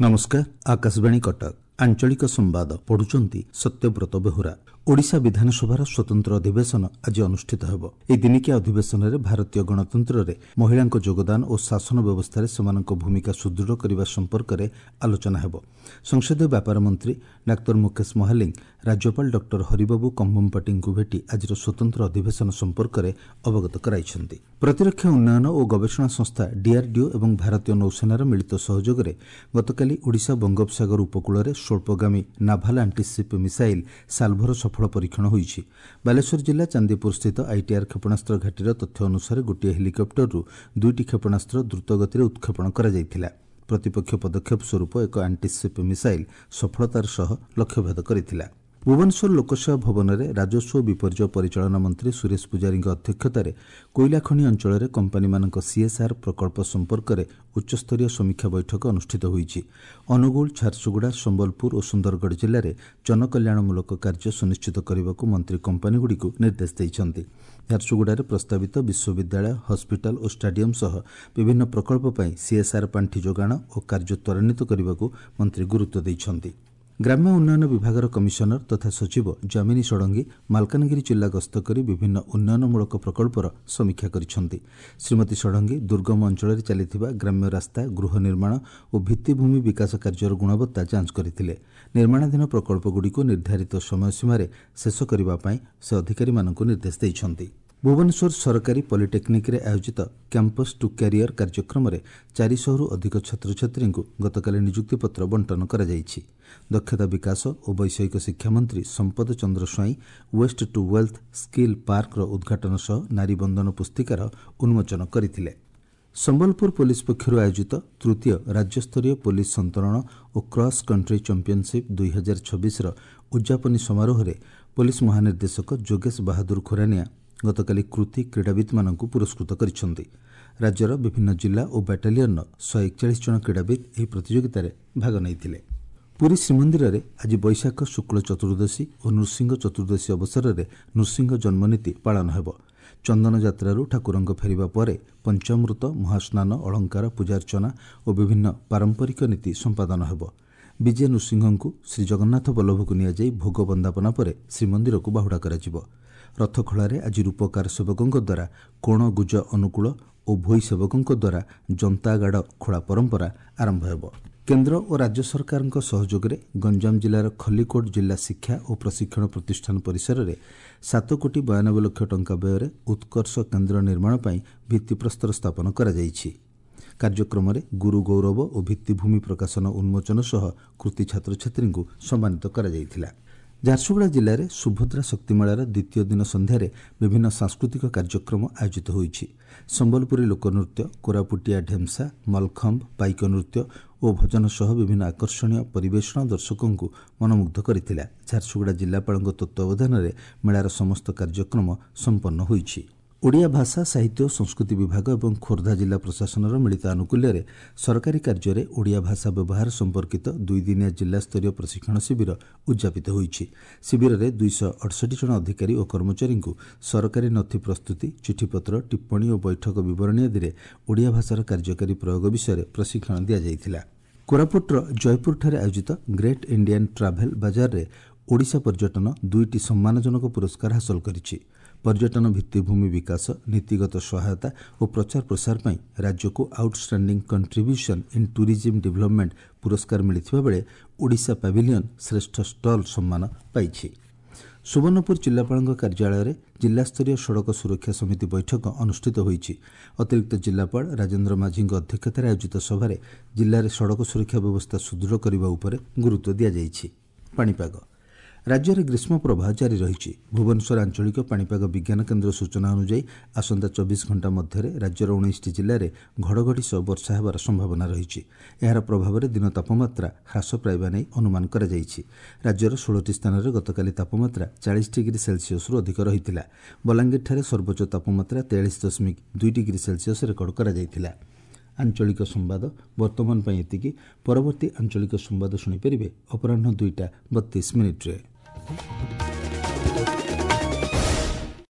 ନମସ୍କାର, ଆକାଶବାଣୀ କଟକ, ଆଞ୍ଚଳିକ ସମ୍ବାଦ ପଢୁଛନ୍ତି ସତ୍ୟବ୍ରତ ବେହୁରା। ଓଡ଼ିଶା ବିଧାନସଭାର ସ୍ୱତନ୍ତ୍ର ଅଧିବେଶନ ଆଜି ଅନୁଷ୍ଠିତ ହେବ। ଏହି ଦିନିକିଆ ଅଧିବେଶନରେ ଭାରତୀୟ ଗଣତନ୍ତ୍ରରେ ମହିଳାଙ୍କ ଯୋଗଦାନ ଓ ଶାସନ ବ୍ୟବସ୍ଥାରେ ସେମାନଙ୍କ ଭୂମିକା ସୁଦୃଢ଼ କରିବା ସମ୍ପର୍କରେ ଆଲୋଚନା ହେବ। ସଂସଦୀୟ ବ୍ୟାପାର ମନ୍ତ୍ରୀ ଡାକ୍ତର ମୁକେଶ ମହାଲିଙ୍ଗ ରାଜ୍ୟପାଳ ଡକ୍ଟର ହରିବାବୁ କମ୍ଭମପାଟିଙ୍କୁ ଭେଟି ଆଜିର ସ୍ୱତନ୍ତ୍ର ଅଧିବେଶନ ସମ୍ପର୍କରେ ଅବଗତ କରାଇଛନ୍ତି। ପ୍ରତିରକ୍ଷା ଉନ୍ନୟନ ଓ ଗବେଷଣା ସଂସ୍ଥା ଡିଆର୍ଡିଓ ଏବଂ ଭାରତୀୟ ନୌସେନାର ମିଳିତ ସହଯୋଗରେ ଗତକାଲି ଓଡ଼ିଶା ବଙ୍ଗୋପସାଗର ଉପକୂଳରେ ସ୍ୱଳ୍ପଗାମୀ ନାଭାଲ ଆଣ୍ଟିସିପ୍ ମିସାଇଲ୍ ସାଲ୍ଭୋର ସଫଳ ପରୀକ୍ଷଣ ହୋଇଛି। ବାଲେଶ୍ୱର ଜିଲ୍ଲା ଚାନ୍ଦିପୁରସ୍ଥିତ ଆଇଟିଆର୍ କ୍ଷେପଣାସ୍ତ୍ର ଘାଟିର ତଥ୍ୟ ଅନୁସାରେ ଗୋଟିଏ ହେଲିକପ୍ଟରରୁ ଦୁଇଟି କ୍ଷେପଣାସ୍ତ୍ର ଦ୍ରୁତଗତିରେ ଉତ୍କ୍ଷେପଣ କରାଯାଇଥିଲା। ପ୍ରତିପକ୍ଷ ପଦକ୍ଷେପ ସ୍ୱରୂପ ଏକ ଆଣ୍ଟିସିପ୍ ମିସାଇଲ୍ ସଫଳତାର ସହ ଲକ୍ଷ୍ୟଭେଦ କରିଥିଲା। ଭୁବନେଶ୍ୱର ଲୋକସେବା ଭବନରେ ରାଜସ୍ୱ ଓ ବିପର୍ଯ୍ୟୟ ପରିଚାଳନା ମନ୍ତ୍ରୀ ସୁରେଶ ପୂଜାରୀଙ୍କ ଅଧ୍ୟକ୍ଷତାରେ କୋଇଲା ଖଣି ଅଞ୍ଚଳରେ କମ୍ପାନୀମାନଙ୍କ ସିଏସ୍ଆର୍ ପ୍ରକଳ୍ପ ସମ୍ପର୍କରେ ଉଚ୍ଚସ୍ତରୀୟ ସମୀକ୍ଷା ବୈଠକ ଅନୁଷ୍ଠିତ ହୋଇଛି। ଅନୁଗୁଳ, ଝାରସୁଗୁଡ଼ା, ସମ୍ବଲପୁର ଓ ସୁନ୍ଦରଗଡ଼ ଜିଲ୍ଲାରେ ଜନକଲ୍ୟାଣମୂଳକ କାର୍ଯ୍ୟ ସୁନିଶ୍ଚିତ କରିବାକୁ ମନ୍ତ୍ରୀ କମ୍ପାନୀଗୁଡ଼ିକୁ ନିର୍ଦ୍ଦେଶ ଦେଇଛନ୍ତି। ଝାରସୁଗୁଡ଼ାରେ ପ୍ରସ୍ତାବିତ ବିଶ୍ୱବିଦ୍ୟାଳୟ, ହସ୍ପିଟାଲ ଓ ଷ୍ଟାଡିୟମ ସହ ବିଭିନ୍ନ ପ୍ରକଳ୍ପ ପାଇଁ ସିଏସ୍ଆର୍ ପାଣ୍ଠି ଯୋଗାଣ ଓ କାର୍ଯ୍ୟ ତ୍ୱରାନ୍ୱିତ କରିବାକୁ ମନ୍ତ୍ରୀ ଗୁରୁତ୍ୱ ଦେଇଛନ୍ତି। ଗ୍ରାମ୍ୟ ଉନ୍ନୟନ ବିଭାଗର କମିଶନର ତଥା ସଚିବ ଯାମିନୀ ଷଡ଼ଙ୍ଗୀ ମାଲକାନଗିରି ଜିଲ୍ଲା ଗସ୍ତ କରି ବିଭିନ୍ନ ଉନ୍ନୟନମୂଳକ ପ୍ରକଳ୍ପର ସମୀକ୍ଷା କରିଛନ୍ତି। ଶ୍ରୀମତୀ ଷଡ଼ଙ୍ଗୀ ଦୁର୍ଗମ ଅଞ୍ଚଳରେ ଚାଲିଥିବା ଗ୍ରାମ୍ୟ ରାସ୍ତା, ଗୃହ ନିର୍ମାଣ ଓ ଭିତ୍ତିଭୂମି ବିକାଶ କାର୍ଯ୍ୟର ଗୁଣବତ୍ତା ଯାଞ୍ଚ କରିଥିଲେ। ନିର୍ମାଣାଧୀନ ପ୍ରକଳ୍ପଗୁଡ଼ିକୁ ନିର୍ଦ୍ଧାରିତ ସମୟସୀମାରେ ଶେଷ କରିବା ପାଇଁ ସେ ଅଧିକାରୀମାନଙ୍କୁ ନିର୍ଦ୍ଦେଶ ଦେଇଛନ୍ତି। ଭୁବନେଶ୍ୱର ସରକାରୀ ପଲିଟେକ୍ନିକ୍ରେ ଆୟୋଜିତ କ୍ୟାମ୍ପସ୍ ଟୁ କ୍ୟାରିୟର କାର୍ଯ୍ୟକ୍ରମରେ 400ରୁ ଅଧିକ ଛାତ୍ରଛାତ୍ରୀଙ୍କୁ ଗତକାଲି ନିଯୁକ୍ତିପତ୍ର ବଣ୍ଟନ କରାଯାଇଛି। ଦକ୍ଷତା ବିକାଶ ଓ ବୈଷୟିକ ଶିକ୍ଷାମନ୍ତ୍ରୀ Sampad Chandra Swain waste to wealth skill ପାର୍କର ଉଦ୍ଘାଟନ ସହ ନାରୀ ବନ୍ଦନ ପୁସ୍ତିକାର ଉନ୍ମୋଚନ କରିଥିଲେ। ସମ୍ବଲପୁର ପୋଲିସ ପକ୍ଷରୁ ଆୟୋଜିତ ତୃତୀୟ ରାଜ୍ୟସ୍ତରୀୟ ପୋଲିସ ସନ୍ତରଣ ଓ କ୍ରସ୍ କଣ୍ଟ୍ରି ଚାମ୍ପିୟନସିପ୍ 2026ର ଉଦ୍ଯାପନୀ ସମାରୋହରେ ପୋଲିସ ମହାନିର୍ଦ୍ଦେଶକ ଯୋଗେଶ ବାହାଦୁର ଖୁରାନିଆ ଗତକାଲି କୃତି କ୍ରୀଡ଼ାବିତ୍ମାନଙ୍କୁ ପୁରସ୍କୃତ କରିଛନ୍ତି। ରାଜ୍ୟର ବିଭିନ୍ନ ଜିଲ୍ଲା ଓ ବାଟାଲିୟନର 141 ଜଣ କ୍ରୀଡ଼ାବିତ୍ ଏହି ପ୍ରତିଯୋଗିତାରେ ଭାଗ ନେଇଥିଲେ। ପୁରୀ ଶ୍ରୀମନ୍ଦିରରେ ଆଜି ବୈଶାଖ ଶୁକ୍ଳ ଚତୁର୍ଦ୍ଦଶୀ ଓ ନୃସିଂହ ଚତୁର୍ଦ୍ଦଶୀ ଅବସରରେ ନୃସିଂହ ଜନ୍ମନୀତି ପାଳନ ହେବ। ଚନ୍ଦନ ଯାତ୍ରାରୁ ଠାକୁରଙ୍କ ଫେରିବା ପରେ ପଞ୍ଚାମୃତ, ମହାସ୍ନାନ, ଅଳଙ୍କାର, ପୂଜାର୍ଚ୍ଚନା ଓ ବିଭିନ୍ନ ପାରମ୍ପରିକ ନୀତି ସମ୍ପାଦନ ହେବ। ବିଜେ ନୃସିଂହଙ୍କୁ ଶ୍ରୀଜଗନ୍ନାଥ ବଲ୍ଲଭକୁ ନିଆଯାଇ ଭୋଗ ବନ୍ଦାପନା ପରେ ଶ୍ରୀମନ୍ଦିରକୁ ବାହୁଡ଼ା କରାଯିବ। ରଥଖଳାରେ ଆଜି ରୂପକାର ସେବକଙ୍କ ଦ୍ୱାରା କୋଣ ଗୁଜ ଅନୁକୂଳ ଓ ଭୋଇ ସେବକଙ୍କ ଦ୍ୱାରା ଜନ୍ତାଗାଡ଼ ଖୋଳା ପରମ୍ପରା ଆରମ୍ଭ ହେବ। କେନ୍ଦ୍ର ଓ ରାଜ୍ୟ ସରକାରଙ୍କ ସହଯୋଗରେ ଗଞ୍ଜାମ ଜିଲ୍ଲାର ଖଲିକୋଟ ଜିଲ୍ଲା ଶିକ୍ଷା ଓ ପ୍ରଶିକ୍ଷଣ ପ୍ରତିଷ୍ଠାନ ପରିସରରେ 7 କୋଟି 92 ଲକ୍ଷ ଟଙ୍କା ବ୍ୟୟରେ ଉତ୍କର୍ଷ କେନ୍ଦ୍ର ନିର୍ମାଣ ପାଇଁ ଭିତ୍ତିପ୍ରସ୍ତର ସ୍ଥାପନ କରାଯାଇଛି। କାର୍ଯ୍ୟକ୍ରମରେ ଗୁରୁ ଗୌରବ ଓ ଭିତ୍ତିଭୂମି ପ୍ରକାଶନ ଉନ୍ମୋଚନ ସହ କୃତି ଛାତ୍ରଛାତ୍ରୀଙ୍କୁ ସମ୍ମାନିତ କରାଯାଇଥିଲା। ଝାରସୁଗୁଡ଼ା ଜିଲ୍ଲାରେ ସୁଭଦ୍ରା ଶକ୍ତିମେଳାର ଦ୍ୱିତୀୟ ଦିନ ସନ୍ଧ୍ୟାରେ ବିଭିନ୍ନ ସାଂସ୍କୃତିକ କାର୍ଯ୍ୟକ୍ରମ ଆୟୋଜିତ ହୋଇଛି। ସମ୍ବଲପୁରୀ ଲୋକନୃତ୍ୟ, କୋରାପୁଟିଆ ଢେମ୍ସା, ମଲଖମ୍ବ, ପାଇକ ନୃତ୍ୟ ଓ ଭଜନ ସହ ବିଭିନ୍ନ ଆକର୍ଷଣୀୟ ପରିବେଷଣ ଦର୍ଶକଙ୍କୁ ମନମୁଗ୍ଧ କରିଥିଲା। ଝାରସୁଗୁଡ଼ା ଜିଲ୍ଲାପାଳଙ୍କ ତତ୍ତ୍ୱାବଧାନରେ ମେଳାର ସମସ୍ତ କାର୍ଯ୍ୟକ୍ରମ ସମ୍ପନ୍ନ ହୋଇଛି। ଓଡ଼ିଆ ଭାଷା, ସାହିତ୍ୟ ଓ ସଂସ୍କୃତି ବିଭାଗ ଏବଂ ଖୋର୍ଦ୍ଧା ଜିଲ୍ଲା ପ୍ରଶାସନର ମିଳିତ ଆନୁକୂଲ୍ୟରେ ସରକାରୀ କାର୍ଯ୍ୟରେ ଓଡ଼ିଆ ଭାଷା ବ୍ୟବହାର ସମ୍ପର୍କିତ ଦୁଇଦିନିଆ ଜିଲ୍ଲାସ୍ତରୀୟ ପ୍ରଶିକ୍ଷଣ ଶିବିର ଉଦ୍ଯାପିତ ହୋଇଛି। ଶିବିରରେ 268 ଜଣ ଅଧିକାରୀ ଓ କର୍ମଚାରୀଙ୍କୁ ସରକାରୀ ନଥି ପ୍ରସ୍ତୁତି, ଚିଠିପତ୍ର, ଟିପ୍ପଣୀ ଓ ବୈଠକ ବିବରଣୀ ଆଦିରେ ଓଡ଼ିଆ ଭାଷାର କାର୍ଯ୍ୟକାରୀ ପ୍ରୟୋଗ ବିଷୟରେ ପ୍ରଶିକ୍ଷଣ ଦିଆଯାଇଥିଲା। କୋରାପୁଟର ଜୟପୁରଠାରେ ଆୟୋଜିତ ଗ୍ରେଟ୍ ଇଣ୍ଡିଆନ୍ ଟ୍ରାଭେଲ୍ ବାଜାରରେ ଓଡ଼ିଶା ପର୍ଯ୍ୟଟନ 2ଟି ସମ୍ମାନଜନକ ପୁରସ୍କାର ହାସଲ କରିଛି। ପର୍ଯ୍ୟଟନ ଭିତ୍ତିଭୂମି ବିକାଶ, ନୀତିଗତ ସହାୟତା ଓ ପ୍ରଚାର ପ୍ରସାର ପାଇଁ ରାଜ୍ୟକୁ outstanding contribution in tourism development ପୁରସ୍କାର ମିଳିଥିବା ବେଳେ ଓଡ଼ିଶା ପାଭିଲିୟନ ଶ୍ରେଷ୍ଠ ଷ୍ଟଲ୍ ସମ୍ମାନ ପାଇଛି। ସୁବର୍ଣ୍ଣପୁର ଜିଲ୍ଲାପାଳଙ୍କ କାର୍ଯ୍ୟାଳୟରେ ଜିଲ୍ଲାସ୍ତରୀୟ ସଡ଼କ ସୁରକ୍ଷା ସମିତି ବୈଠକ ଅନୁଷ୍ଠିତ ହୋଇଛି। ଅତିରିକ୍ତ ଜିଲ୍ଲାପାଳ ରାଜେନ୍ଦ୍ର ମାଝୀଙ୍କ ଅଧ୍ୟକ୍ଷତାରେ ଆୟୋଜିତ ସଭାରେ ଜିଲ୍ଲାରେ ସଡ଼କ ସୁରକ୍ଷା ବ୍ୟବସ୍ଥା ସୁଦୃଢ଼ କରିବା ଉପରେ ଗୁରୁତ୍ୱ ଦିଆଯାଇଛି। ପାଣିପାଗ। ରାଜ୍ୟରେ ଗ୍ରୀଷ୍ମ ପ୍ରବାହ ଜାରି ରହିଛି। ଭୁବନେଶ୍ୱର ଆଞ୍ଚଳିକ ପାଣିପାଗ ବିଜ୍ଞାନ କେନ୍ଦ୍ର ସୂଚନା ଅନୁଯାୟୀ ଆସନ୍ତା 24 ଘଣ୍ଟା ମଧ୍ୟରେ ରାଜ୍ୟର 19ଟି ଜିଲ୍ଲାରେ ଘଡ଼ଘଡ଼ି ସହ ବର୍ଷା ହେବାର ସମ୍ଭାବନା ରହିଛି। ଏହାର ପ୍ରଭାବରେ ଦିନ ତାପମାତ୍ରା ହ୍ରାସ ପାଇବା ନେଇ ଅନୁମାନ କରାଯାଇଛି। ରାଜ୍ୟର 16ଟି ସ୍ଥାନରେ ଗତକାଲି ତାପମାତ୍ରା 40 ଡିଗ୍ରୀ ସେଲସିୟସରୁ ଅଧିକ ରହିଥିଲା। ବଲାଙ୍ଗୀରଠାରେ ସର୍ବୋଚ୍ଚ ତାପମାତ୍ରା 43.2 ଡିଗ୍ରୀ ସେଲସିୟସ ରେକର୍ଡ କରାଯାଇଥିଲା। ଆଞ୍ଚଳିକ ସମ୍ବାଦ ବର୍ତ୍ତମାନ ପାଇଁ ଏତିକି। ପରବର୍ତ୍ତୀ ଆଞ୍ଚଳିକ ସମ୍ବାଦ ଶୁଣିପାରିବେ ଅପରାହ୍ନ 2ଟା 32 ମିନିଟ୍ରେ।